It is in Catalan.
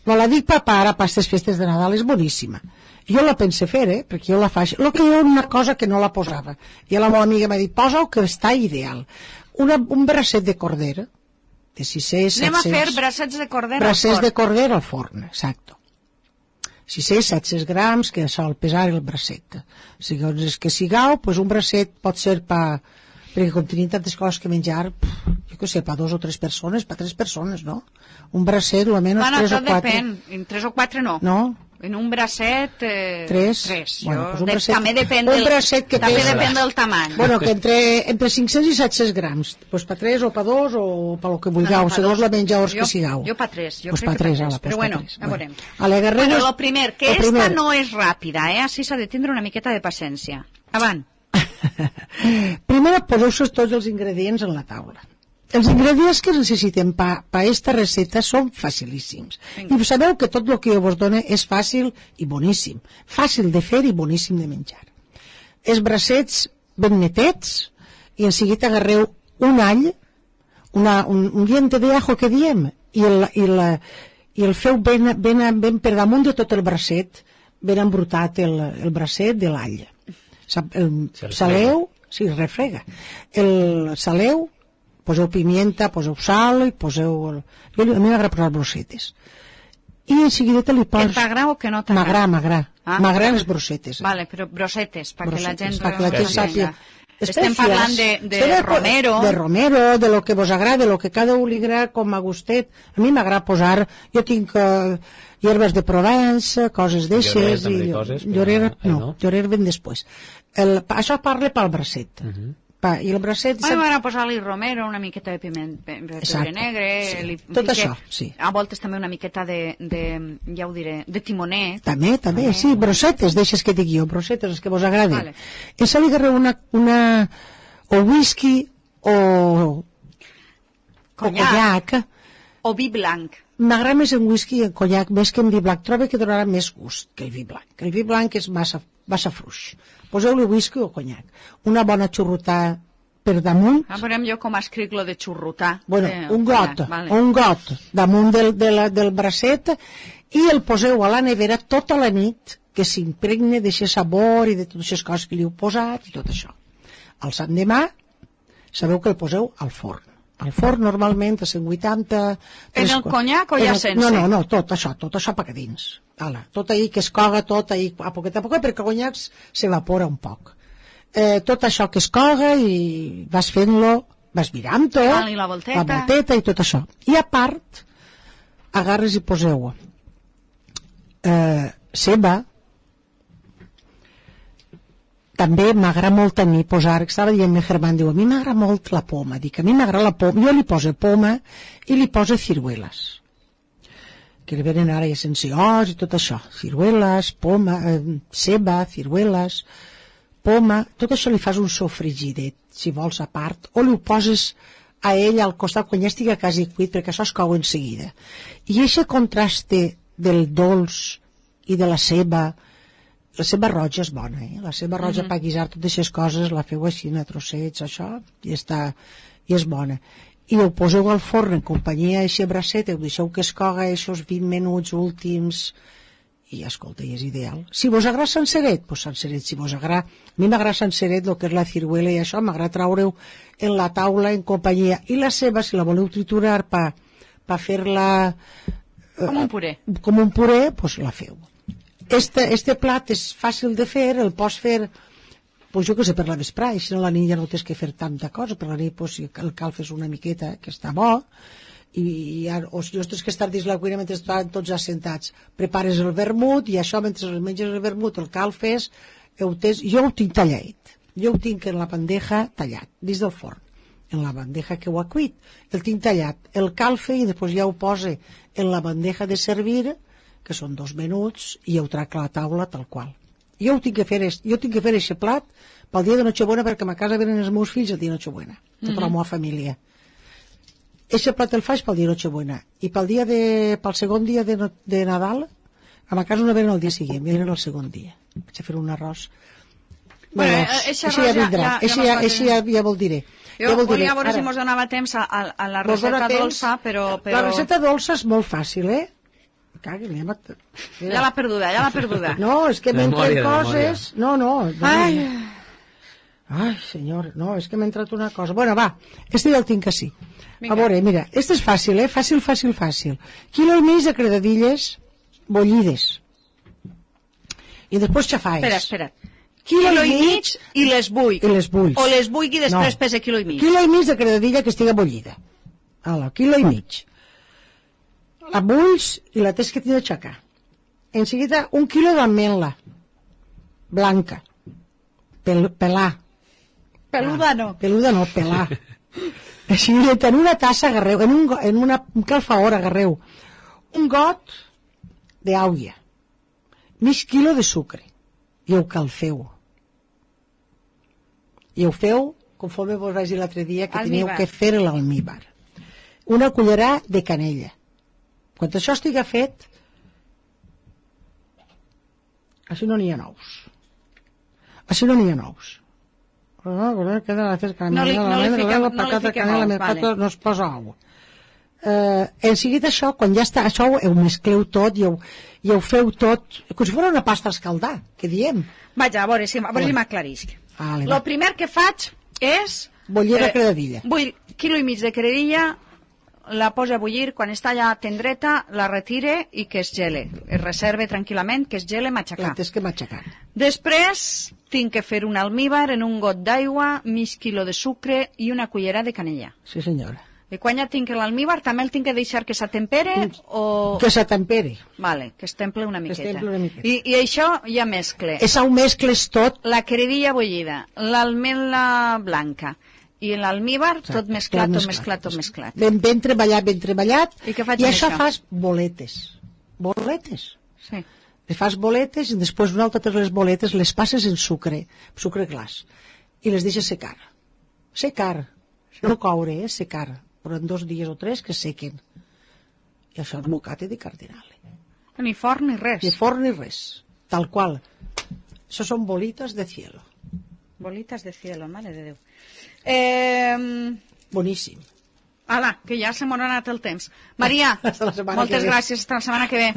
No la dic per ara, per aquestes festes de Nadal, és boníssima. Jo la pense fer, perquè jo la faig. El que hi ha una cosa que no la posava. I la meva amiga m'ha dit, posa-ho que està ideal. Un bracet de cordera, de 600, 700... Anem a fer braçets de cordera al forn. Bracets de cordera al forn, exacto. 600, 700 grams, que sol pesar el bracet. Segons que sigueu, pues un bracet pot ser perquè com tenim tantes coses que menjar, jo què sé, per 2 o 3 persones, per 3 persones, no? Un bracet, almenys 3 o 4. Tot depèn, en 3 o 4 no. No? En un bracet... 3. Bueno, pues un bracet, també depèn del tamany. Bueno, que entre 500 i 700 grams. Pues per 3 o per 2 o per lo que vulgueu, segons la menjadors que sigueu. Jo per 3, jo pues crec que per 3. Però bueno, ja veurem. Bueno, lo primer, que esta no és ràpida, així s'ha de tindre una miqueta de paciència. Avant. Primer poseu tots els ingredients en la taula. Els ingredients que necessitem per aquesta recepta són facilíssims. I sabeu que tot el que jo vos dono és fàcil i boníssim. Fàcil de fer i boníssim de menjar. Els bracets ben netets i en seguida agarreu un all, un diente de ajo que diem, i el feu ben per damunt de tot el bracet, ben embrutat el bracet de l'all. Saleu, sí, refrega. El saleu, poseu pimienta, poseu sal i poseu... A mi m'agrada posar brossetes. I en seguida li poses... Que t'agrada o que no t'agrada? M'agraden les brossetes. Vale, però brossetes, perquè la gent... sàpiga. Estem parlant de romero. De romero, de lo que vos agrada, de lo que cada un li agrada com a gustet. A mi m'agrada posar... Jo tinc hierbes de Provence, coses d'eixes... Llorer ben després. Això parla pel bracet. I el bracet... M'agrada posar-li romero, una miqueta de piment pebre negre... Tot això, sí. A voltes també una miqueta ja ho diré, de timoner. També, sí, brossetes, deixes que digui jo, brossetes, els que vos agraden. I se li agarreu o whisky o conyac. O vi blanc. M'agrada més en whisky i en conyac, més que en vi blanc. Trobo que donarà més gust que el vi blanc. El vi blanc és massa fluix. Poseu-li whisky o conyac. Una bona xurrutada per damunt. Veurem jo com escric lo de xurrutar. Bueno, un got damunt del bracet i el poseu a la nevera tota la nit, que s'impregne d'aquest sabor i de totes les coses que li heu posat i tot això. El l'endemà sabeu que el poseu al forn. Al forn normalment a 180... En el conyac o ja sense? No, tot això per dins. Tot ahí que es coga, tot ahí a poquet, perquè el conyac s'evapora un poc. Tot això que es coga i vas fent-lo, vas mirant-ho, la volteta i tot això. I a part, agarres i poseu ceba. També m'agrada molt a mi posar, que estava dient meu germà, diu, a mi m'agrada molt la poma. Dic, a mi m'agrada la poma. Jo li poso poma i li poso cirueles, que li venen ara ja sense os i tot això. Cirueles, poma, ceba, cirueles, poma, tot això li fas un sofregidet, si vols a part, o li ho poses a ell al costat quan ja estigui quasi cuit, perquè això es cou en seguida. I aquest contraste del dolç i de la ceba roja és bona, la ceba roja per guisar totes aquestes coses, la feu així a trossets, això, i és bona. I ho poseu al forn en companyia d'aquest bracet, ho deixeu que es coga aquests 20 minuts últims, i escolta, és ideal. Si vos agrada senceret, doncs senceret. Si vos agrada, a mi m'agrada senceret, el que és la ciruela i això, m'agrada traure-ho en la taula en companyia. I la ceba, si la voleu triturar per fer-la... Com un puré. Com un puré, doncs la feu. Este plat és fàcil de fer, el pots fer, pues jo que sé, per la vesprà, i si no la nit ja no tens que fer tanta cosa, per la nit pues, si el calfes una miqueta, que està bo, o si no tens que estar dins la cuina mentre estan tots assentats, prepares el vermut, i això mentre menges el vermut, el calfes, jo ho tinc tallat, jo ho tinc en la bandeja tallat, dins del forn, en la bandeja que ho ha cuit, el tinc tallat, el calfe, i després ja ho posa en la bandeja de servir, que són 2 minuts, i ho trac a la taula tal qual. Jo tinc que fer aquest plat pel dia de Nochebuena, perquè a ma casa venen els meus fills el dia de Nochebuena, tota la meva família. Aquest plat el faig pel dia de Nochebuena, i pel segon dia de Nadal, a ma casa no venen el dia següent, venen el segon dia. Vaig a fer un arròs. Això ja vindrà, això ja vol diré. Jo volia veure si mos donava temps a la recepta dolça, però... La recepta dolça és molt fàcil, Ja l'ha perduda. No, és que m'entren coses... No. Ai, senyor, no, és que m'ha entrat una cosa. Bueno, va, este ja el tinc així. A veure, mira, este és fàcil, fàcil. Quilo i mig de credadilles bullides. I després xafaes. Espera. Quilo i mig i les bull. O les bull i després pesa quilo i mig. Quilo i mig de credadilla que estiga bullida. Quilo i mig. La bulls i la tens que tindre d'aixecar. En seguida, 1 quilo d'ametla blanca. Pelar. Peluda no, pelar. Així, en una tassa agarreu, en una calfaora agarreu un got d'aulla, mig quilo de sucre, i ho calfeu. I ho feu, conforme vos vaig dir l'altre dia, que teniu que fer l'almíbar. Una cullerà de canella. Quan això estiga fet, així no n'hi ha nous. No es posa ou. En seguida això, quan ja està, això ho mescleu tot i ho feu tot, com si fos una pasta a escaldar, que diem. Vaja, a veure si m'aclarisc. El primer que faig és... Bullir la credadilla. Vull quilo i mig de credadilla, la posa a bullir, quan està ja tendreta, la retire i que es gele. Es reserve tranquil·lament, que es gele, matxacar. La tens que matxacar. Després tinc que fer un almíbar en un got d'aigua, mig quilo de sucre i una cullera de canella. Sí, senyora. I quan ja tinc l'almíbar, també el tinc que deixar que s'atempere o... Que s'atempere. Vale, que es temple una miqueta. I això ja mescle. Això ho mescles tot. La credilla bullida, l'almendra blanca i l'almíbar, tot mesclat. Ben treballat. I què faig amb això? I això fas boletes. Sí. Les fas boletes i després una altra les boletes les passes en sucre glaç, i les deixes secar. No coure, secar, però en 2 dies o 3 que sequen. I això és mocate de cardinal. Ni forn ni res. Tal qual. Això són bolitas de cielo. Bolitas de cielo, mare de Déu. Boníssim. Ala, que ja se m'ha anat el temps. Maria, moltes gràcies, fins la setmana que ve.